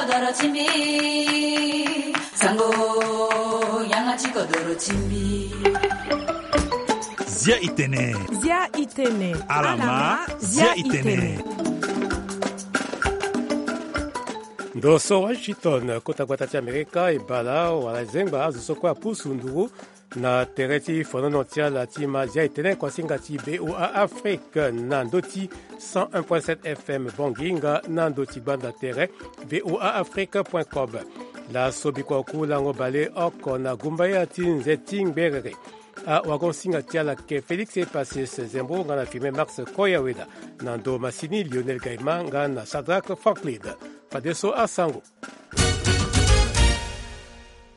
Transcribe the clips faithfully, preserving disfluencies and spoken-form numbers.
Doro ti mbi, sango, yanga ti kodoro ti mbi. Zia itene. Zia itene. Alama, zia itene. Ndo so Washington, kota gbata ti Amerika, e bala wala e zengba azo so kue apusu nduru na tere ti fonono ti ala ti ma zia itene kuasinga ti B O A Afrique na ndö ti cent un point sept F M Bangui nga na ndö ti gbanda tere V O A Afrique point com. Laso bikua oku lango bale oko na gumbaya ti nze ti ngberere. Awagon-singa ti ala ke Félix Epasis Zembo nga na filme Max Koyaweda, na ndo masini Lionel Gaima nga na Sadrack Franklin. Fadeso asango.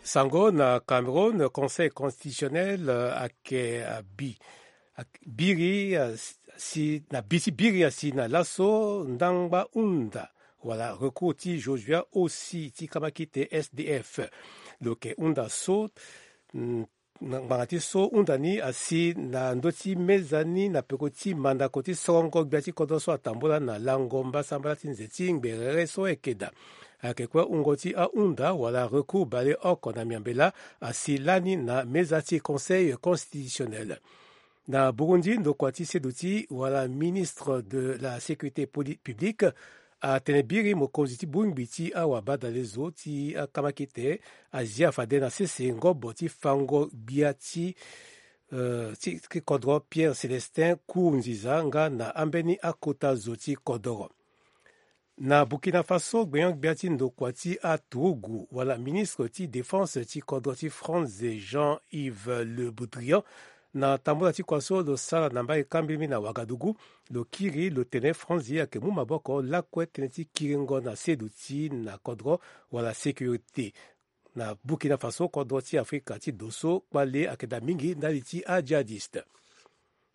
Sango na Cameroun, Conseil constitutionnel, euh, ayeke, euh, bi, ayeke biri, euh, si, na bi ti biri asi na laso ndangba hunda wala recours ti Josué Ossi ti kamakite S D F. Lo yeke hunda so, mm, na ngbanga ti so hunda ni asi na ndö ti meza ni na peko ti mandako ti sorongo gbia ti kodro so atambula na lango mbasambala ti nze ti ngberere so ayeke daa. Ayeke kue wungo ti ahunda wala recours baleoko na miambe laa asi lani na meza ti Conseil constitutionnel. Na Burundi, ndokua ti seduti wala ministre de la sécurité poli-, publique atene biri mokonzi ti bongbi ti awabadale zo ti akamakete azia fade na sese ngobo ti fango gbia ti, euh, ti, ti kodro Pierre Célestin Nkurunziza nga na ambeni akota zo ti kodoro. Na Burkina Faso, gbenyo-gbia ti ndokua ti aturugu wala ministre ti défense ti kodro ti France, Jean-Yves Le Drian, na tambula ti kua so lo sara na mbage kambilimi na Ouagadougou, lo kiri lo tene Franzi ayeke mu maboko lakue tënë ti kiringo na seduti na kodro wala sécurité. Na Burkina Faso, kodro ti Afrika ti do so kpale ayeke daa mingi ndali ti ajihadiste.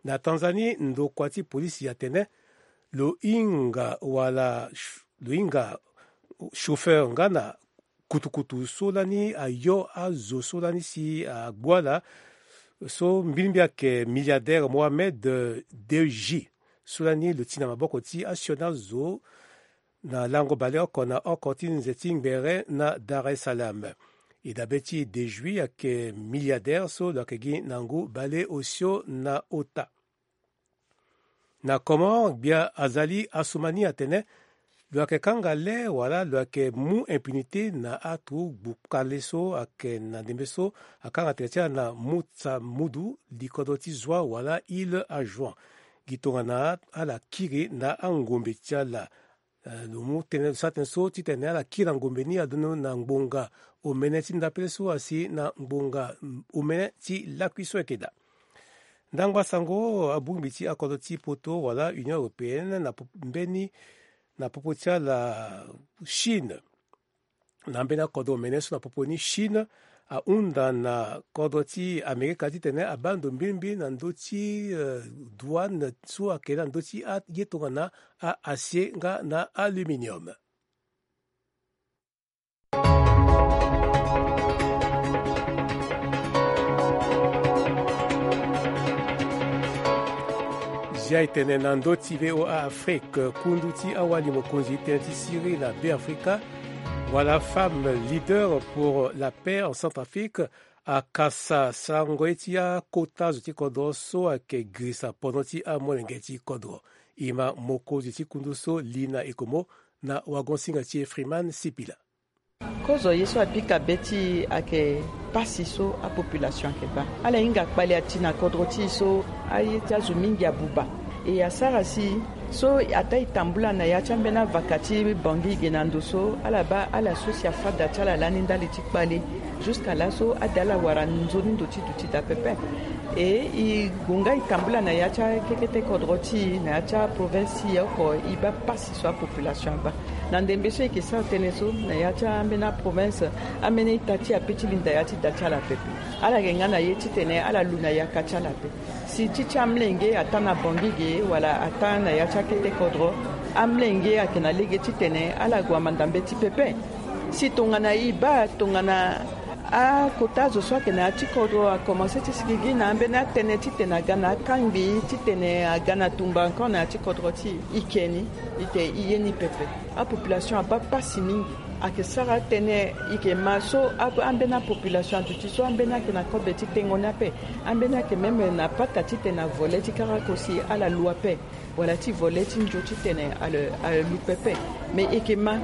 Na Tanzanie, ndokua ti polisi atene lo hinga wala ch-, lo hinga chauffeur nga na kutukutu so lani ayo azo so lani si agbu ala, so mbilimbi ayeke milliardaire Mohamed Deji, so lani lo ti na maboko ti asioni azo na lango baleoko na oko ti nze ti ngbere na Dar es Salaam. E dabe ti Deji ayeke milliardaire so lo yeke gi na ngu baleosio na ota. Na Comores, gbia Azali Assoumani atene lo yeke kanga le wala lo yeke mu impunité na aturugu kpale so ayeke na ndembe so akanga tere ti ala na Mutsamudu, likodro ti Zoua wala Île à Juin. Gi tongana ala kiri na angombe ti ala. Eh, lo mu tënë, lo sara tënë so titene ala kiri na ngombe ni adono na ngbonga omene ti ndapele so asi na ngbonga, mm, omene ti lakui so ayeke daa. Ndangba sango, abongbi ti akodro ti poto wala Union européenne na po-, mbeni, na popo ti ala Chine. Na mbeni akodro omene so na popo ni Chine ahunda na kodro ti Amerika titene abaa ndo mbilimbi na ndö ti, eh, douane so ayeke na ndö ti aye tongana a-acier nga na aluminium. Zia e tene na ndö ti V O A Afrique, kundu ti awali mokonzi tënë ti Syrie na Beafrika, wala Femme leader pour la paix en Centrafrique, akasa sarango ye ti akota zo ti kodro so ayeke girisa pono ti amolenge ti kodro. E ma mokonzi ti kundu so Lina Ekomo na wagon-singa ti e Freeman Sipila. Kozo ye so apika be ti e ayeke pasi so apopulation ayeke baa. Ala hinga kpale ati na kodro ti e so aye ti azo mingi abuba. E asara si so ataa e tambula na ya ti ambeni avaka ti Bangui ge na ndo so ala baa ala so si afâ da ti ala lani ndali ti kpale. Jusqu'à laso ade ala wara nzoni ndo ti duti daa pepe. E e gue nga e tambula na ya ti akekete kodro ti e na ya ti aprovince ti e oko, e baa pasi so apopulation abaa. Na ndembe so e yeke sara tënë so na ya ti ambeni aprovince, ambeni ita ti e ape ti linda ya ti da ti ala pepe. Ala yeke nga na ye titene ala lu na yaka ti ala ape. Si ti ti amolenge ataa na Bangui ge wala ataa na ya ti akete kodro, amolenge ayeke na lege titene ala gue manda mbeti pepe. Si tongana e baa tongana akota zo so ayeke na ya ti kodro akomanse ti sigigi na ambeni atënë titene aga na akangbi titene aga na tumba encore na ya ti kodro ti e, e ke ni, e te e ye ni pepe. Apopulation abaa pasi mingi. Ayeke sara atene e yeke ma so ambeni apopulation aduti so ambeni ayeke na kobe ti tengo ni ape. Ambeni ayeke même na pata titene avole ti karako si ala lu ape, wala ti vole ti nzo titene ale ale lu pepe. Me e yeke ma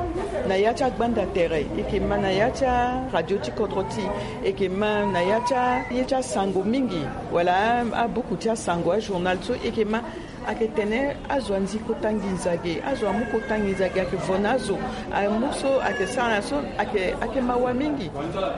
na ya ti agbanda tere, e yeke ma na ya ti aradio ti kodro ti e, e yeke ma na ya ti a- ye ti asango mingi, wala a- abuku ti asango ajournal so e yeke ma. Ayeke tene azo andi kota nginza ge, azo amu kota nginza ge, ayeke vo na azo amu so ayeke sara na so ayeke ayeke mawa mingi.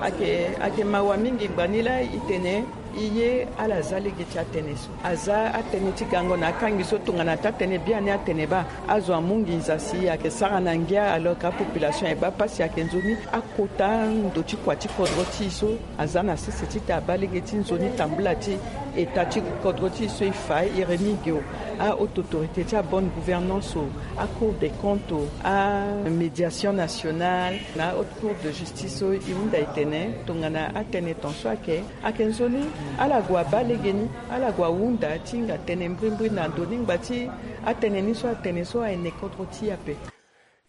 Ayeke ayeke mawa mingi ngbani laa e tene e ye ala za lege ti atënë so. Aza atënë ti gango na akangi so tongana taa tënë biani atene baa azo amu nginza si ayeke sara na ngia, alors que apopulation e baa pasi. Ayeke nzoni akota ndo ti kua ti kodro ti e so aza na sese titene abaa lege ti nzoni tambula ti eta ti kodro ti e so e fa e remi ge o. A haute autorité ti abonne gouvernance o, acour des comptes o, amédiation nationale na haute cour de justice so e hunda e tene tongana atënë ton so ayeke ayeke nzoni ala gue abaa legeni, ala gue ahunda ti hinga tënë mbrimbri na ndo ni ngba ti atënë ni so atene so aye na kodro ti e ape.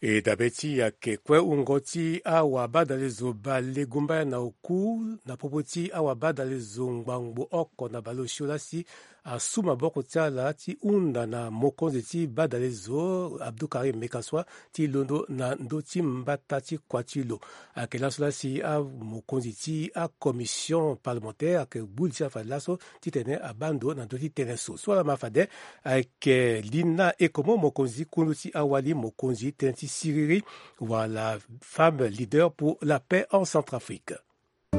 E dabe ti e ayeke kue wungo ti awabadalezo bale gumbaya na oku na popo ti awabadalezo ngbangbo oko na baleosio laa si asu maboko ti ala ti hunda na mokonzi ti badalezo Abdou Karim Mekaswa ti londo na ndö ti mbata ti kua ti lo. Ayeke laso laa si amokonzi ti acommission parlementaire ayeke gbu li ti ala fade laso titene abaa ndo na ndö ti tënë so. So ala ma fade ayeke Lina Ekomo, mokonzi kundu ti awali, mokonzi tënë ti siriri wala femme leader pour la paix en Centrafrique. E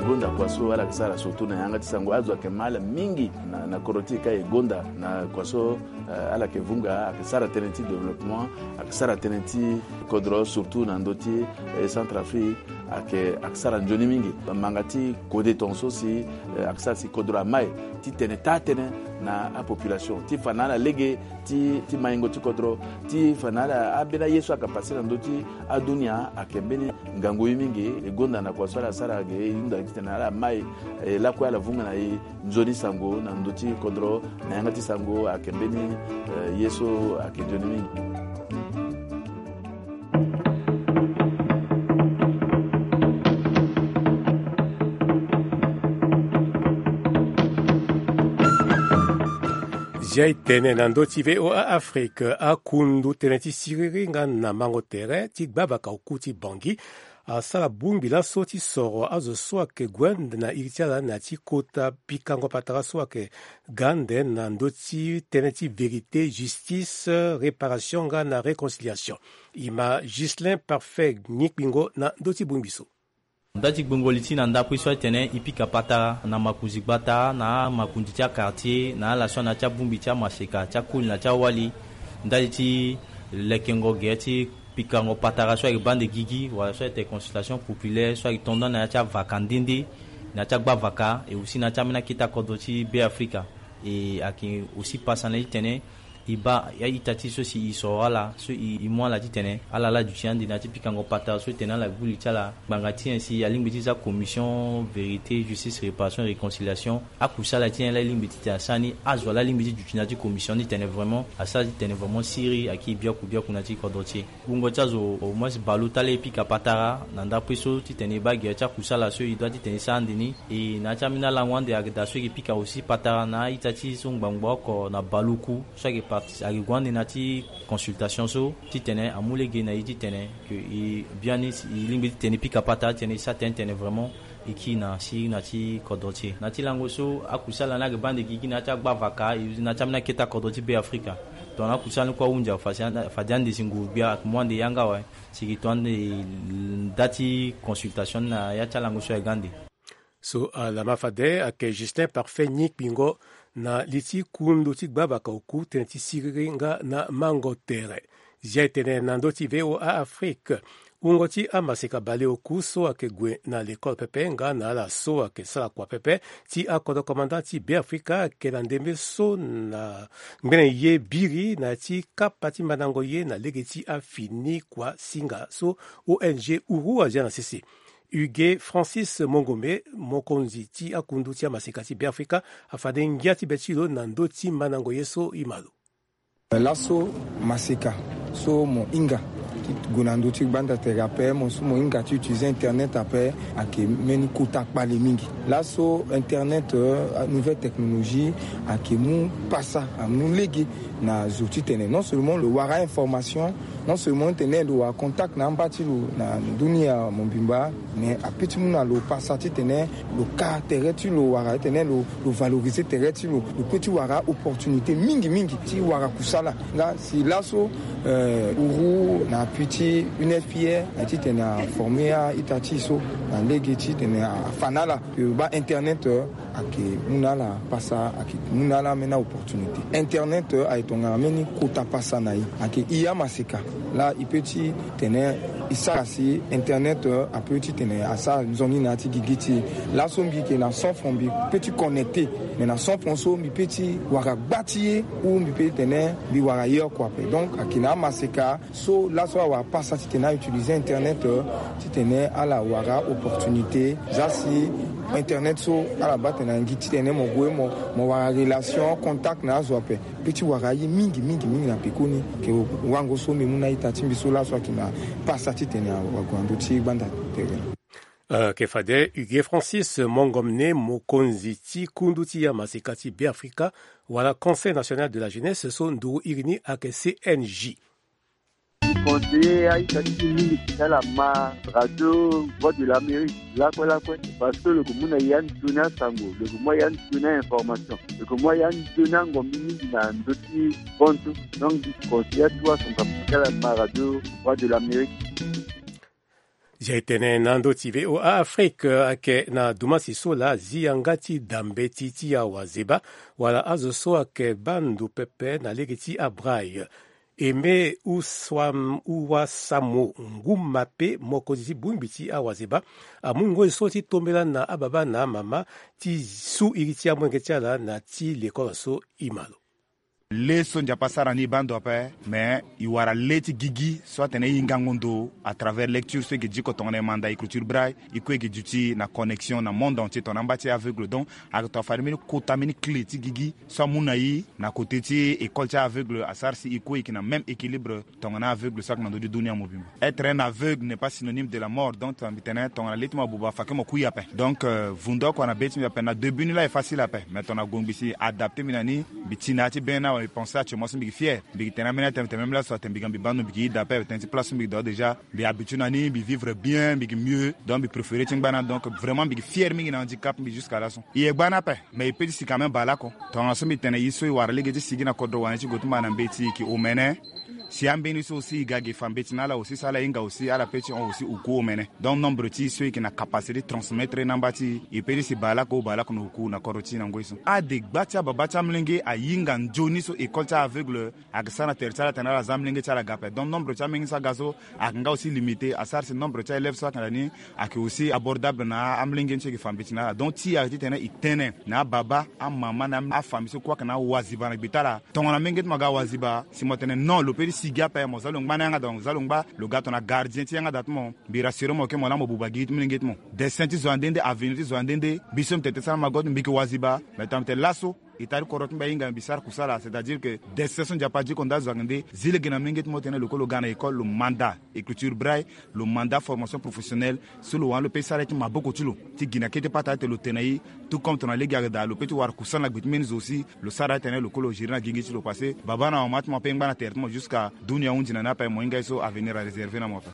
gonda kua so ala yeke sara surtout na yanga ti sango, azo ayeke ma ala mingi na, na kodro ti e ka e gonda na kua so, eh, ala yeke vunga, ayeke sara tënë ti développement, ayeke sara tënë ti kodro surtout na ndö ti, eh, Centrafrique, ayeke, ayeke sara nzoni mingi. Manga ti kode tongaso si, eh, ayeke sara si kodro amai ti tene taa tënë na apopulation ti fa na ala lege ti, ti maingo ti kodro, ti fa na ala ambeni aye so ayeke pase na ndö ti adunia ayeke mbeni ngangu ye mingi. E gonda na kua so ala sara ge, e hunda titene ala mai, eh, lakue ala vunga na e nzoni sango na ndö ti kodro, na yanga ti sango ayeke mbeni, eh, ye so ayeke nzoni mingi. Zia e tene na ndö ti V O A Afrique, akundu tënë ti siriri nga na mango tere ti gbavaka oku ti Bangui asara bongbi laso ti soro azo so ayeke gue ande na iri ti ala na ya ti kota pikango patara so ayeke ga ande na ndö ti tënë ti vérité, justice, réparation nga na réconciliation. E ma Ghislain Parfait Nikpingo na ndö ti bongbi so. Nda ti gbengoli ti na ndapui so atene e pika patara na makonzi gbata, na amakonzi ti akartier, na ala so ana ti abongbi ti amaseka ti akoli na ti awali ndali ti lekengo gere ti pikango patara so ayeke baa ande gigi wala so ayeke consultation populaire so ayeke tonda na ya ti avaka nde nde, na ya ti agbavaka, e aussi na ya ti ambeni akete akodro ti Beafrika. E ayeke aussi pasa na e titene e baa a-ita ti e so si e soro ala so e mu ala titene ala laa aduti ande na ya ti pikango patara so e tene ala gbu li ti ala. Ngbanga ti nyen si alingbi ti za commission vérité, justice, réparation, réconciliation, akusala ti nyen laa e lingbi titene asara ni? Azo laa alingbi ti duti na ya ti commission ni titene vraiment asara titene vraiment siriri ayeke biaku biaku na ya ti kodro ti e. Wungo ti azo au moins baleota laa e pika patara na ndapui so titene e baa gere ti akusala so e doit titene e sara ande ni. E na ya ti ambeni alango ande ayeke daa so e yeke pika aussi patara na a-ita ti e so ngbangbo oko na baleoku so ayeke parti ayeke gue ande na ya ti consultation so titene amu lege na e titene ke e biani si e lingbi titene e pika patara titene e sara tënë titene vraiment e kiri na siriri na ya ti kodro ti e. Na ya ti lango so akusala ni ayeke baa ande gigi na ya ti agbavaka, e na ya ti ambeni akete akodro ti Beafrika. Tongana akusala ni kue ahunzi afa si ande, fade ande si nguru-gbia ayeke mu ande yanga awe. Si e yeke to ande nda ti consultation ni na ya ti alango so ayeke ga ande. So ala ma fade ayeke Justin Parfait Nikpingo na li ti kundu ti gbavaka oku tënë ti siriri nga na mango tere. Zia e tene na ndö ti V O A Afrique. Wungo ti amaseka baleoku so ayeke gue na lekole pepe nga na ala so ayeke sara kua pepe ti akodro komanda ti Beafrika ayeke na ndembe so na ngbene ye biri na ya ti kapa ti mandango ye na lege ti afini kua singa so O N G Uru azia na sese. Huguet Francis Mongombe, mokonzi ti akundu ti amaseka ti Beafrika, afade ngia ti be ti lo na ndö ti mandango ye so e ma lo. Laso maseka so mo hinga Gue na ndö ti gbanda tere ape, mo so mo hinga ti utiliser internet ape, ayeke mbeni kota kpale mingi. Laso internet, euh, nouvelle technologie, ayeke mu pasa, amu lege na zo titene non seulement lo wara information, non seulement titene lo wara contact na amba ti lo na dunia mobimba, mais ape ti mu na lo pasa titene lo ka tere ti lo wala titene lo, lo valoriser tere ti lo, lo pe ti wara opportunité mingi mingi ti wara kusala. Nga si laso, euh, uru na appui ti une F I R, aye titene aformer a-ita ti e so na lege titene afa na ala, euh, baa internet, euh, ayeke mu na ala pasa, ayeke mu na ala ambeni aopportunité. Internet, euh, ayeke tongana mbeni kota pasa na e. Ayeke e amaseka laa e pe ti tene e sara si internet, euh, ape titene asara nzoni na ya ti gigi ti e. Laso mbi yeke na cent francs, mbi pe ti connecter. Mais na cent francs so mbi pe ti wara gba ti ye, ou mbi pe ti tene mbi wara ye oko ape. Donc ayeke na amaseka so laso awara pasa titene autiliser internet, euh, titene ala wara opportunité. Za si internet so ala baa tene na ngi titene mo gue mo, mo wara relation, contact na azo ape. Pe ti wara ye mingi mingi mingi na pekoni. Ke wango so mbi mu na a-ita ti mbi so laso ayeke na pasa titene awague na ndö ti gbanda tere. Euh, ke fade Hugues Francis Mongomne, mokonzi ti kundu ti amaseka ti Beafrika, wala Conseil National de la Jeunesse so nduru iri ni ayeke C N J. Conseiller a-ita ti e mingi ti ala ma radio Voix de l'Amérique lakue lakue, parce que lo yeke mu na e anzoni asango, lo yeke mu na e anzoni a-information, lo yeke mu na e anzoni angombi mingi na ndö ti bontu. Donc mbi conseiller atuwa son kapa ti ala ma radio Voix de l'Amérique. Zia e tene na ndö ti V O A Afrique, ayeke na dumasi so laa zi yanga ti da mbeti ti awazeba wala azo so ayeke baa ndo pepe na lege ti abraille. Aimé Oussam-, Ouassamo Ngoumape, mokonzi ti bongbi ti awazeba, amu ngoi so ti tombela na ababa na amama ti su iri ti amolenge ti ala na ti lekolo so. E ma lo. Lê so Nzapa asara ni e baa ndo ape, mais e wara lê ti gigi so atene e hingango ndo à travers lecture so e yeke diko tongana e manda écriture braille, e kue e yeke duti na connexion na monde entier tongana amba ti aveugle. Donc ayeke tongana fade mbeni kota mbeni clé ti gigi so amu na e na côté ti école ti aveugle, asara si e kue e yeke na même équilibre tongana aveugle so ayeke na ndö ti dunia mobimba. Être un aveugle n'est pas synonyme de la mort. Donc tongana mbi tene tongana lê ti mo abuba, fake mo kui ape. Donc, euh, vundu oko na be ti mbi ape, na début ni laa e facile ape, mais tongana gongbi si e adapter mbi na ni, mbi ti na ya ti be ni awe, mbi pense actuellement so mbi yeke fier. Mbi yeke tene ambeni atene tene même laso atene mbi ga mbi baa ndo, mbi yeke ida ape, tënë ti place so mbi yeke dä déjà, mbi habitué na ni, mbi vivre bien, mbi yeke mieux. Donc mbi préféré ti ngba na, donc vraiment mbi yeke fier mingi na handicap mbi jusqu'à laso. E ye gba ni ape, mais e pe ti si quand même baleoko. Tongana so mbi tene e so e wara lege ti sigi na kodro wani ti gue ti mba na mbeti, e yeke omene. Si ambeni so aussi e ga ge fa mbeti na ala aussi, so ala hinga aussi, ala pe ti hon aussi oku omene. Donc nombre ti e so e yeke na capacité ti transmettre na amba ti e, e pe ti si baleoko, baleoko na oku na kodro ti e na ngoi so. Adegba ti ababa ti amolenge ahinga nzoni so école ti aveugle ayeke sara na tere ti ala tene ala za amolenge ti ala ga ape. Donc nombre ti amolenge so aga so ayeke nga aussi limité, asara si nombre ti aélève so ayeke na ni ayeke aussi abordable na amolenge ni so e yeke fa mbeti na ala. Donc ti e ayeke titene e tene na ababa, amama na afamille so kue ayeke na awaziba na gbe ti ala. Tongana menge ti mo aga waziba, si mo tene non, lo pe ti sigi ape, mo za lo ngba na yanga, donc za lo ngba, lo ga tongana gardien ti yanga da ti mo. Mbi rassurer mo ke mo laa mo buba gigi ti molenge ti mo. Destin ti zo ande nde, avenir ti zo ande nde. Mbi so mbi tene ti sara mago ti mbi, mbi yeke waziba. Mais tongana mbi tene laso, état ti kodro ti mbi ahinga, mbi sara kusala, c'est-à-dire que destin so Nzapa adiko nda azo ayeke nde. Zi lege na molenge ti mo tene lo kue lo ga na école, lo manda écriture braille, lo manda formation professionnelle, so lo wani lo pe ti sara ye ti maboko ti lo ti gi na kete pata ti tene lo tene na e. Tout comme tongana lege ayeke daa, lo pe ti wara kusala na gbe ti mbeni zo aussi, lo sara atene lo kue lo gérer na gigi ti lo, parce que baba na mama ti mo ape e ngba na tere ti mo jusqu'à dunia ahunzi na ni ape, mo hinga ye so avenir aréservé na mo ape.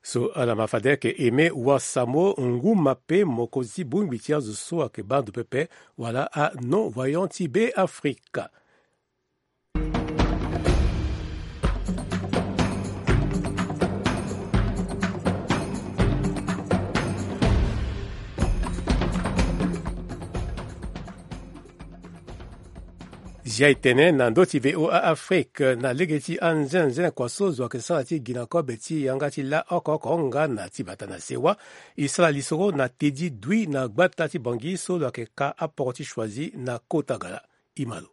So ala ma fade ayeke Aimé Ouassamo Ngoumape, mokonzi ti bongbi ti azo so ayeke baa ndo pepe wala a-non-voyant ti Beafrika. Zia e tene na ndö ti V O A Afrique, na lege ti anzenanzena kua so zo ayeke sara ti gi na kobe ti yanga ti lâ oko oko nga na ti bata na sewa. E sara lisoro na Teddy Dui na gbata ti Bangui so lo yeke ka aporo ti Choisy na kota Gala. E ma lo.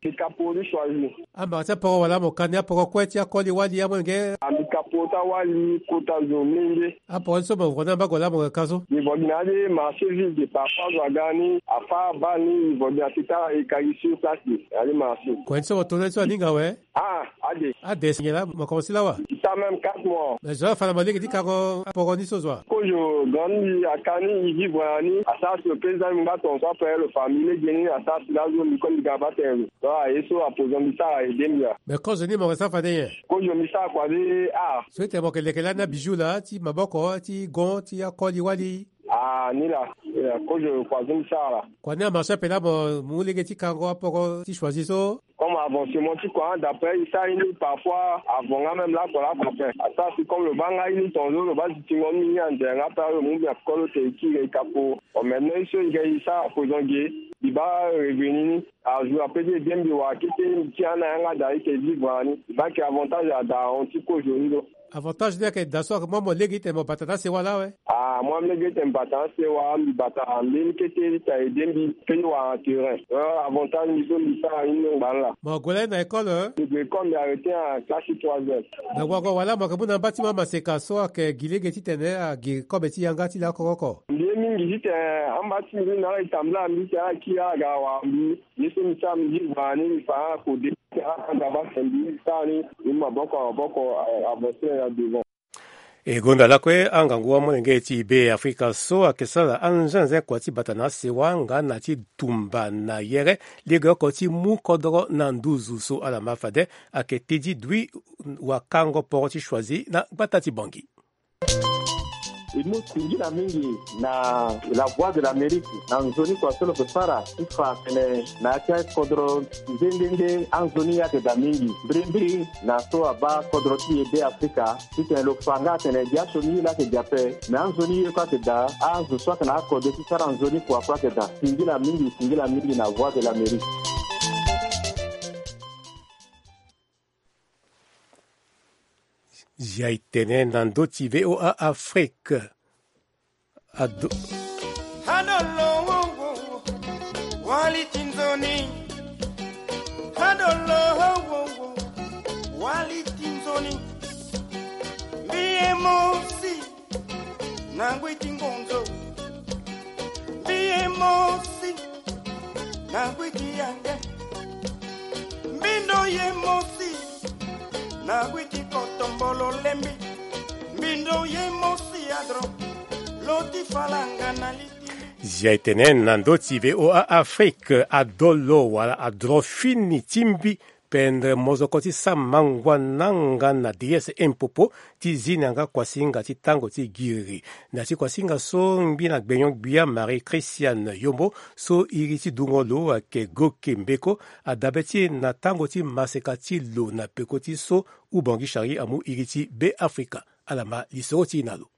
Mbi ka poro ti Choisy. Amara ti aporo wala mo ka ni aporo kue ti akoli wali amolenge? A, mbi ka poro ti awali kota zo mlenge. Aporo ni so mo vo ni amba gue laa mo yeke ka so? Mbi vo gi na ya ti marché ville de parfois zo aga ni, afâ abaa ni, mbi vo gi na ti tara e ka gi sur place na ya ti marché. Kue ni so mo to ni so aninga awe? A, ade. Ade si nyen laa mo komanse laa wa? Même quatre mois. Mais zo afa na mo lege ti kango aporo ni so zo a. Kozo grand ni aka ni i vivre na ni asara si lo pe za ni ngba tonso après lo famille lege ni asara si lazo mbi ko mbi ga ba tene lo. Donc aye so apozo mbi sara aye de mbi a. Mais kozo ni mo ke sara fade nyen? Kozo mbi sara kua de a. So ete mo ke leke lani abijou laa ti maboko ti gon ti akoli wali. Ah ni la. Kozo kua so mbi sara la. Kua ni amarche ape laa mo mu lege ti kango aporo ti choisi so. Comme avancement ti kua d'après i sara ni parfois avant nga même lakua lakua ape asara si comme lo baa nga i ni tonzo lo baa zitingo ni ni ande nga pe alo mu mbi akolo te i kiri i kapo. Bon maintenant i so i ga i sara poison ge i baa revenu ni. Ajour ape ti ede mbi wara kete mbi ti ana yanga daa i ke vivre na ni i baa ke avantage ada ahon ti kozo ni lo. Avantage ni ayeke daa so ayeke mu amo lege ti tene mo bata na asewa laa awe. Ah mu amo lege ti tene mo bata na asewa mbi bata na mbeni kete ti tene ede mbi pe ni wara na terrain. Avantage mbi so mbi sara ni ni ngba ni laa. Mo gue lani na école? Mbi gue école mbi arrêté na classe troisième. Me wago wala mo yeke mu na amba ti mo amaseka so ayeke gi lege ti tene agi kobe ti yanga ti lakoko oko. Mbi ye mingi ti tene amba ti mbi ni na ala e tambula na mbi ti tene ala kiri ala ga wara mbi. Ye so mbi sara mbi gi vara ni mbi fa na kode ti ala anda base mbi sara ni. Mbi mu maboko na maboko. Avance na devant. E gonda lakue angangu amolenge ti Be Afrika so ayeke sara anzenze kua ti bata na asewa nga na ti tumba na yere legeoko ti mu kodoro na nduzu so ala ma fade. Ayeke tedi dui wakango poro ti choisi na gbata ti Bangi. E mu singila mingi na la voix de l'Amérique na nzoni kua so lo yeke sara ti fa atene na ya ti akodro nde nde nde anzoni ye ayeke daa mingi mbirimbiri na so abaa kodro ti e Be Afrika ti tene lo fa nga atene gi asioni ye laa ayeke gi ape. Me anzoni ye kue ayeke daa azo so ayeke na akode ti sara nzoni kua kue ayeke daa. Singila mingi singila mingi na voix de l'Amérique. Zia e tene na ndö ti V O A Afrique. Ado. Adolo wo wo wo wali ti nzoni. Adolo wo wo wo wali ti nzoni. Mbi ye mosi na ngui ti ngonzo. Mbi ye mosi na ngui ti yange. Mbindo ye mosi na ngui ti kotombolo lembi. Mbindo ye mosi adro lo ti falanga na li ti. Zia e tene na ndö ti V O A Afrique. Adolo wala adro fini ti mbi pendre mozoko ti sama ngua nanga na D S Mpopo ti zi na yanga kuasinga ti tango ti giriri. Na ti kuasinga so ngbi na gbenyo-gbia Marie Christiane Yombo so iri ti dungo lo ayeke Goke Mbeko adabe ti e na tango ti maseka ti lo na peko ti so Ubangi Chari amu iri ti Be Afrika. Ala ma lisoro ti e na lo.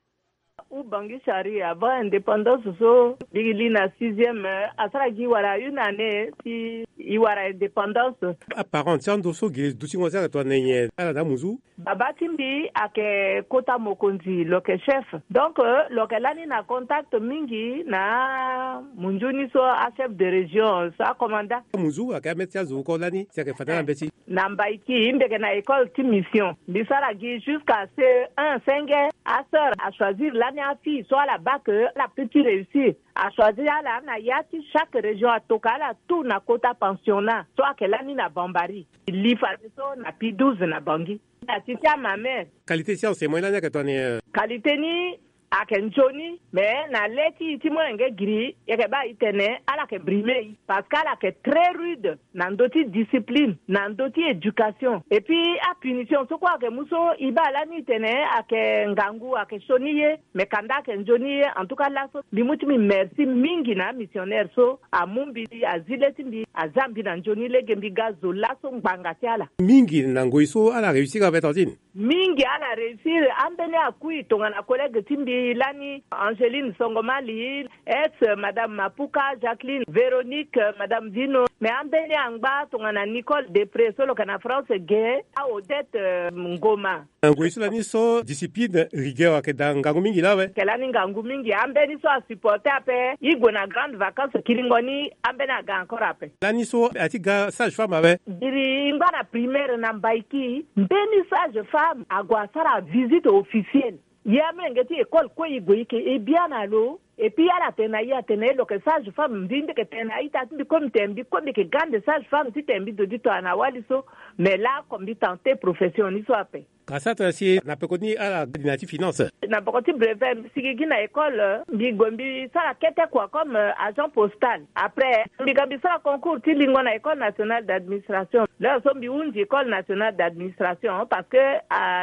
Ubangi Chari avant indépendance so mbi li na sixième asara gi wara une année si i wara indépendance. Aparent ti ando so gi dutingo ti ala tongana nyen ala na amunzu. Baba ti mbi ayeke kota mokonzi lo yeke chef. Donc lo yeke lani na contact mingi na munzu ni so achef de région so acommanda. Amunzu ayeke amê ti azo oko lani si ayeke fade na mbeti. Na Mbaiki mbi yeke na école ti mission mbi sara gi jusqu'à C E un senge. Asœur achoisir lani afille so ala baa ke ala pe ti réussir. Achoisir ala na ya ti chaque région atoka ala tout na kota pensionnat so ayeke lani na Bambari. Li fadeso na P douze na Bangi. Na ti ti amamere. Qualité ti enseignement lani ayeke tongana nyen? Qualité ni ayeke nzoni. Mais na le ti i ti molenge giri i yeke baa i tene ala yeke brime i parce que ala yeke très rude na ndö ti discipline na ndö ti éducation. Et puis apunition so kue ayeke mu so i baa lani i tene ayeke ngangu ayeke sioni ye. Mais kanda ayeke nzoni ye en tout cas laso mbi mu ti mbi merci mingi na amissionnaire so amu mbi azi le ti mbi aza mbi na nzoni lege mbi ga zo laso ngbanga ti ala. Mingi na ngoi so ala réussir ape tantine. Mingi ala réussir. Ambeni akui tongana collègue ti mbi lani Angeline Songomali, ex madame Mapuka, Jacqueline, Véronique, madame Vino. Mais ambeni angba tongana Nicole Depré so lo yeke na France ge, Odette Ngoma. Na ngoi so lani so discipline, rigueur ayeke daa ngangu mingi laa awe. Ayeke lani ngangu mingi. Ambeni so asupporter ape i gue na grande vacance kiringo ni ambeni aga encore ape. Lani so ati ga sage femme awe. Biri i ngba na primaire na Mbaiki mbeni sage femme ague asara visite officielle. Ye amolenge ti école kue i gue i ke e bia na lo. Et puis ala tene na ye atene lo yeke sage femme, mbi mbi yeke tene na a-ita ti mbi kue mbi tene mbi kue mbi yeke grande sage femme ti tene mbi dodi tongana wali so. Mais laoko mbi tente profession ni so ape. Ka sara tongana si na peko ni ala gi na ya ti finance. Na peko ti brevet mbi sigi gi na école, mbi gue mbi sara kete kua comme agent postal. Après mbi ga mbi sara concours ti lingo na école nationale d'administration. L'heure so mbi hunzi école nationale d'administration parce que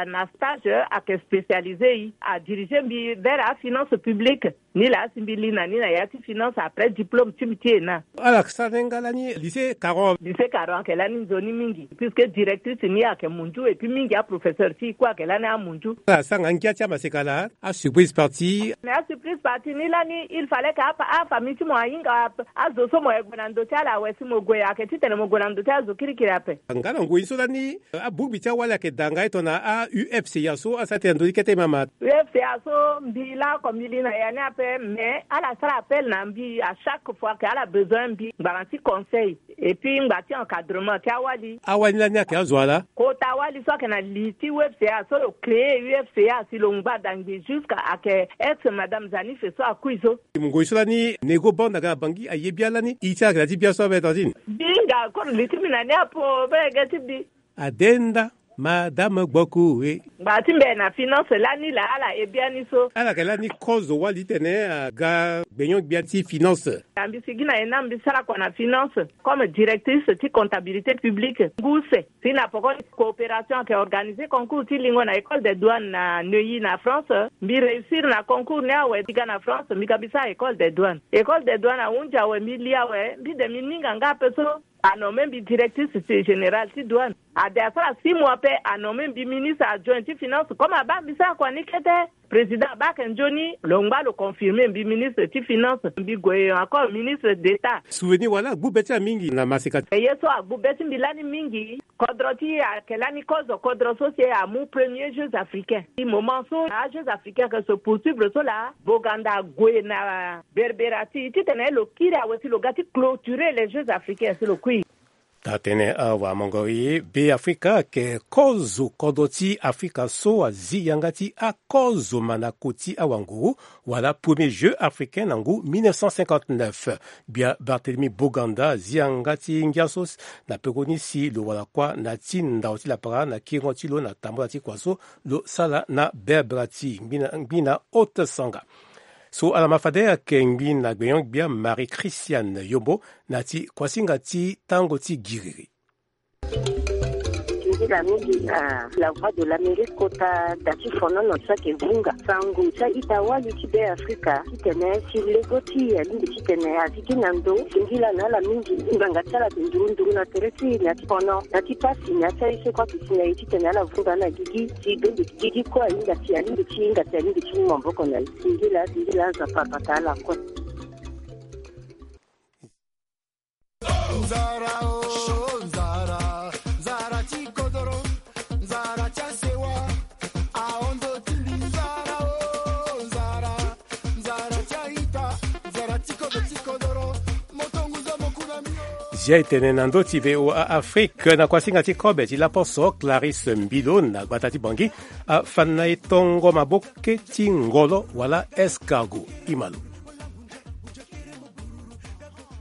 na stage ayeke spécialisé, adirige mbi vers afinance publique. Ni laa si mbi li na ni na ya ti finance après diplôme ti mbi ti ena. Ala sara ni nga lani lycée Caron. Lycée Caron ayeke lani nzoni mingi puisque directrice ni ayeke munju et puis mingi aprofesseur ti e kue ayeke lani amunju. Ala sara nga ngia ti amaseka laa, asurprise partie. Mais asurprise partie ni lani il fallait que afamille ti mo ahinga azo so mo yeke gue na ndo ti ala awe si mo gue ayeke titene mo gue na ndo ti azo kirikiri ape. Nga na ngoi so lani, abongbi ti awali ayeke daa nga e tongana a-UFCA so asara tene na ndoni kete mama. UFCA so mbi laoko mbi li na ya ni ape mais ala sara appel na mbi à chaque fois que ala besoin mbi ngbanga ti conseil et puis ngba ti encadrement ti awali. Awali ni lani ayeke azo ala? Kota wali so ayeke na li ti UFCA so lo créer UFCA si lo ngba dangbi jusqu'à ayeke ex madame Zanife so akui so. Ngoi so lani Nego Banda aga na Bangui aye bia lani, iri ti ala ayeke na ya ti bia so abe Tantine. Mbi hinga koro li ti mbi na ni apo be ge ti mbi. Adenda madame Gboku e. Ngba ti mbi na finance lani laa ala e biani so. Ala yeke lani kozo wali titene aga gbenyo-gbia ti finance. Na mbi sigi na ena mbi sara kua na finance comme directrice ti comptabilité publique ngu use. Si na poko ni coopération ayeke organiser concours ti lingo na école des douanes na Neuilly na France. Mbi réussir na concours ni awe mbi ga na France mbi ga mbi sara école des douanes. École des douanes ahunzi awe mbi li awe mbi de mbi ninga nga ape so. Anomme mbi directrice générale ti douane. Ade asara six mois pe anomme mbi ministre adjoint ti finance comme abaa mbi sara kua ni kete. Président abaa ayeke nzoni lo ngba lo confirmer mbi ministre ti finance mbi gue encore ministre d'état. Souvenir wala agbu be ti ala mingi na maseka. Ye so agbu be ti mbi lani mingi. Kodro ti e ayeke lani kozo kodro so si e amu premier jeux africains. Ti moment so ajeux africains ayeke se poursuivre so laa Boganda ague na berbera ti e titene lo kiri awe si lo ga ti clôturer les jeux africains si lo kui. Taa tënë awamongori Be Afrika ayeke kozo kodro ti Afrika so azi yanga ti akozo mandako ti awanguru wala premier jeux africain na ngu mille neuf cent cinquante-neuf. Gbia Barthélemy Boganda azi yanga ti ngia so na peko ni si lo wara kuâ na ti ndao ti lapara na kiringo ti lo na tambula ti kua so lo sara na berbera ti ngbi na ngbi na haute sanga. So ala ma fade ayeke ngbi na gbenyo-gbia Marie Christiane Yombo na ti kuasinga ti tango ti giriri. Singila mingi na La Voix de l'Amérique kota da ti fonono so ayeke vunga sango ti a-ita wali ti Be Afrika titene si lego ti e alingbi titene azi gi na ndo. Singila na ala mingi ngbanga ti ala ayeke nduru nduru na tere ti e na ti fono na ti pasi na ya ti aye so kue ayeke si na e titene ala vunga na gigi si bende gigi kue ahinga si alingbi ti hinga si alingbi ti mu maboko na e. Singila singila Nzapa abata ala kue. Nzara o nzara, nzara ti kodoro, nzara ti asewa, ahondo ti mbi nzara o nzara, nzara ti a-ita, nzara ti kodro ti kodoro. Moto ngu zo mo ku na mbi o. Zia e tene na ndö ti V O A Afrique na kuasinga ti kobe ti laposo Clarisse Mbilo na gbata ti Bangui afa na e tongo maboke ti ngolo wala escargot. Imalo.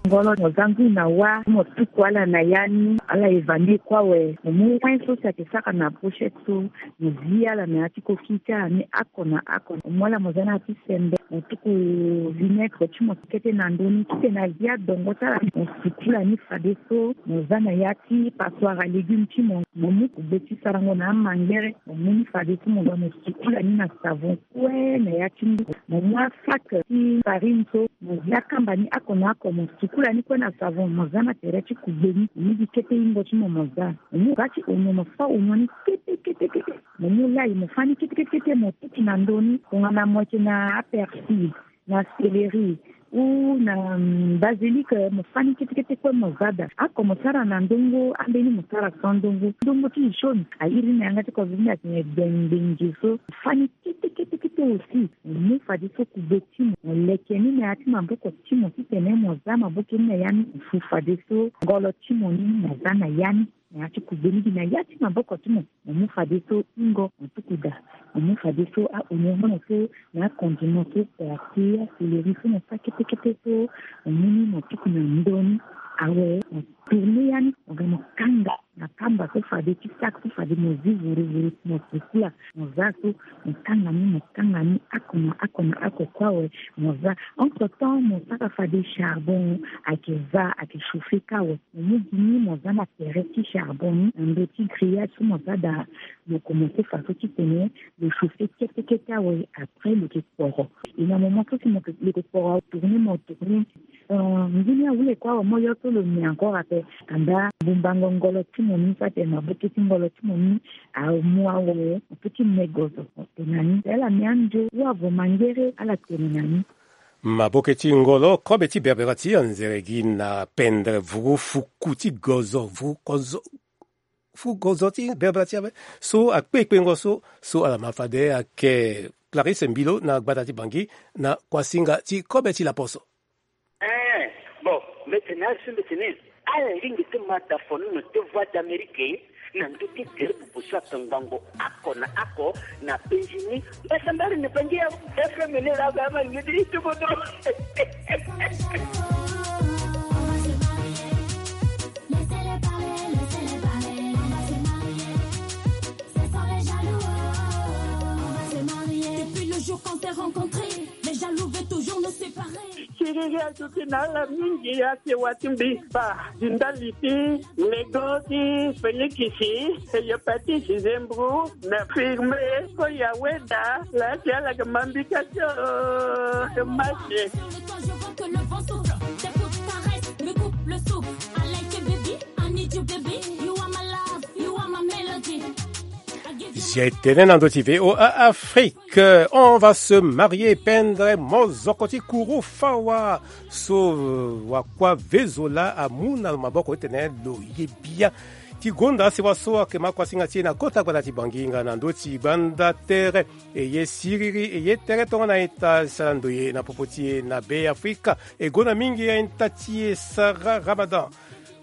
Ngolo mo za ngui na wâ, mo tuku ala na ya ni, ala eva ni kue awe. Mo mu win so si ayeke sara na pochette so, mo zi ala na ya ti koki ti ala ni oko na oko. Mo mu ala mo za na ya ti sembe, mo tuku vinaigre ti mo kete na ndö ni, titene azi adongo ti ala ni. Mo sukula ni fadeso, mo za na ya ti passoire à légumes ti mo, mo mu kugbe ti sarango na amangere, mo mu ni fadeso, mo ga mo sukula ni na savon kue na ya ti ngu. Mo mu asac ti farine so, mo zia kamba ni oko na oko, mo sukula ni kue na savon, mo za na tere ti kugbe ni, mo mu gi kete hingo ti mo, mo za. Mo mu ga ti onio, mo fa onio ni kete kete kete. Mo mu lay, mo fa ni kete kete kete, mo tutu na ndö ni. Tongana mo yeke na apersil, na céleri, ou na, mm, basilic, mo fa ni kete kete kue mo za daa. Oko mo sara na ndongo, ambeni mo sara sans ndongo. Ndongo ti jaune, a iri ni na yanga ti kozoni atene gbengbengi so. Mo fa ni kete kete kete aussi. Mo mu fadeso kugbe ti mo, mo leke ni na ya ti maboko ti mo titene mo za maboke ni na ya ni. Mo fu fadeso ngolo ti mo ni, mo za na ya ni. Na ya ti kugbe ni gi na ya ti maboko ti mo. Mo mu fadeso ingo, mo tuku daa. Mo mu fadeso aoniongo na so, na akondima so, persil, aseleri so mo sa kete kete so. Mo mu ni mo tuku na ndö ni. Awe, mo tourner ya ni, mo ga mo kanga na kamba so fade ti sac so fade mo zi vuru vuru, mo sukula, mo za so, mo kanga ni, mo kanga ni oko na oko na oko kue awe, mo za. Entre temps, mo sara fade charbon ayeke va, ayeke chauffer kâ awe. Mo mu gi ni mo za na tere ti charbon ni na ndö ti grillage so mo za daa. Mo commencer façon titene lo chauffer kete kete awe, après lo yeke kporo. E na moment so si mo yeke, lo yeke kporo, tourner mo tourner. Euh, nzoni awule kue awe, mo yo so lo ne encore ape. Kanda bumbango ngolo ti mo ni, so atene maboke ti ngolo ti mo ni amu awe, mo peut ti me gozo. Tene na ni, ala me andio, wala vo mangere, ala tene na ni. Maboke ti ngolo, kobe ti berbera ti anzere gi na pendre vuru fuku ti gozo, vuru kozo, vuru gozo ti berbera ti ape. So akpe kpengo so, so ala ma fade ayeke Clarisse Mbilo na gbata ti Bangui na kuasinga ti kobe ti laposo. Eh, bon, mbe tene asi mbe tene. Ala lingbi ti ma da fonono ti Voix d'Amérique na ndö ti tere bubu so atongbango oko na oko na penzi ni. Mbasambari na penzi ya F M ni la ba ma ni ti tuko to. Depuis le jour qu'on s'est rencontrés, les jaloux veulent toujours nous séparer. Siriri aduti na ala mingi, ake wa ti mbi ba di ndali ti nego ti Félix, hépatite, zembro na firme. Ko ya weda la ti ala ke mambika tio. Match. Sur le toit, je vois que le vent souffle. T'écoutes, caresse, me coupe le souffle. I like you, baby. I need you, baby. You are my love. You are my melody. Zi tene na ndö ti V O A Afrique, on va se marier, pendre mozoko ti kuru fawa. So wakua vezo la amu na lo maboko titene lo ye bia. Ti gonda sewa so ayeke ma kuasinga ti e na kota gbanda ti Bangui nga na ndö ti gbanda tere. E ye siriri, e ye tere tongana ita sara ndoye na popo ti e na Be Afrika. E gonda mingi aita ti e Sarah Ramadan.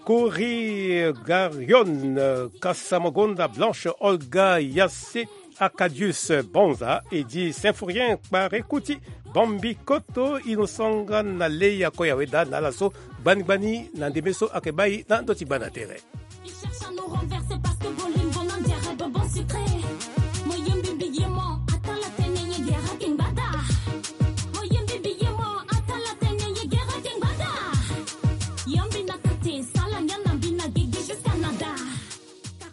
Kori Garion, Kasamogonda Blanche, Olga Yasse, Acadius Bonza, Edi Symphorien, Kpare Kuti, Bambi Koto, Innocent nga na Leya Koya Weda na ala so gbani gbani na ndembe so ayeke bai na ndö ti gbanda tere. Ils cherchent à nous renverser parce que bolingo na diarrhée bonbon sucré. Mo yembi mbi ye mo, atala tene ye gera kingbada. Mo yembi mbi ye mo, atala tene ye gera kingbada. Yembi na kate, sala ngia na mbi na gigi jusqu'à nada.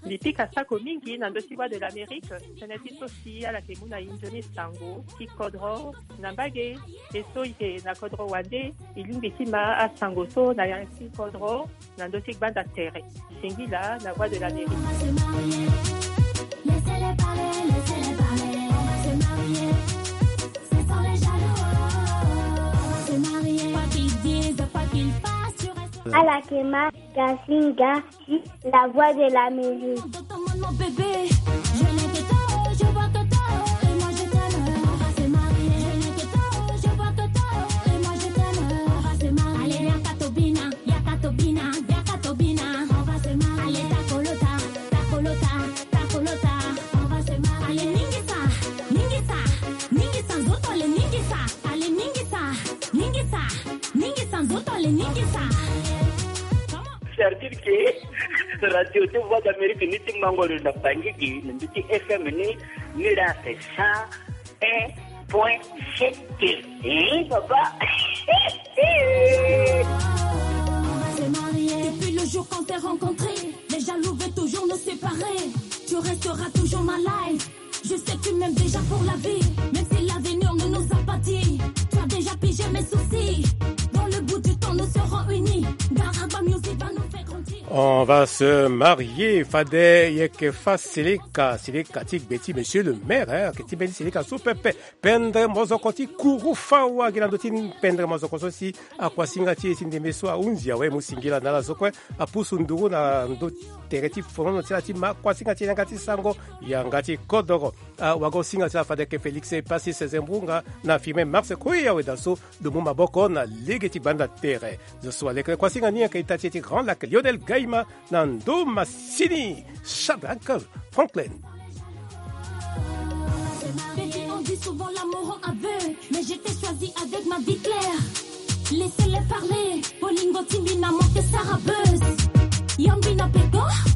Mbi pika sako mingi na ndö ti Voix de l'Amérique, tënë ti so si ala yeke mu na e nzoni sango ti kodro na mbage. E so e yeke na kodro wande, e lingbi ti ma asango so na ya ti kodro na ndö ti gbanda tere. Singila na Voix de l'Amérique. Ala yeke ma Gasinga ti La Voix de l'Amérique. C'est-à-dire que radio ti Voix d'Amérique ni ti mango lo na Bangui gi na ndö ti F M ni, ni la c'est cent un point sept. Hein, papa? Depuis le jour qu'on s'est rencontrés, les jaloux veulent toujours nous séparer. Tu resteras toujours ma life. Je sais que tu m'aimes déjà pour la vie, même si l'avenir ne nous a pas dit. Tu as déjà pigé mes soucis. Dans le bout du temps, nous serons unis. Garagba Music va nous faire grandir. On va se marier, fade yeke fa seleka, seleka ti gbe ti monsieur le maire, hein, ayeke ti mbeni seleka so pepe. Pendre mozoko ti kuru fawa gi na ndö ti pendre mozoko so si akuasinga ti e ti ndembe so ahunzi awe, mu singila na ala so kue apusu nduru na ndö tere ti fonono ti ala ti ma kuasinga ti yanga ti sango, yanga ti kodoro. Awagosinga ti ala fade yeke Félix Passis Zembrunga na firme Mars Koya Weda so lo mu maboko na lege ti Banda tere zo so alekere kuasinga ni ayeke ita ti e ti Grand Lac, Lionel Gaima na ndo masini Shadrack Franklin. Petit, on dit souvent l'amour aveugle, mais je t'ai choisi avec ma vie claire. Laissez-les parler, bolingo timbi na monte sara buzz. Yambi na peko.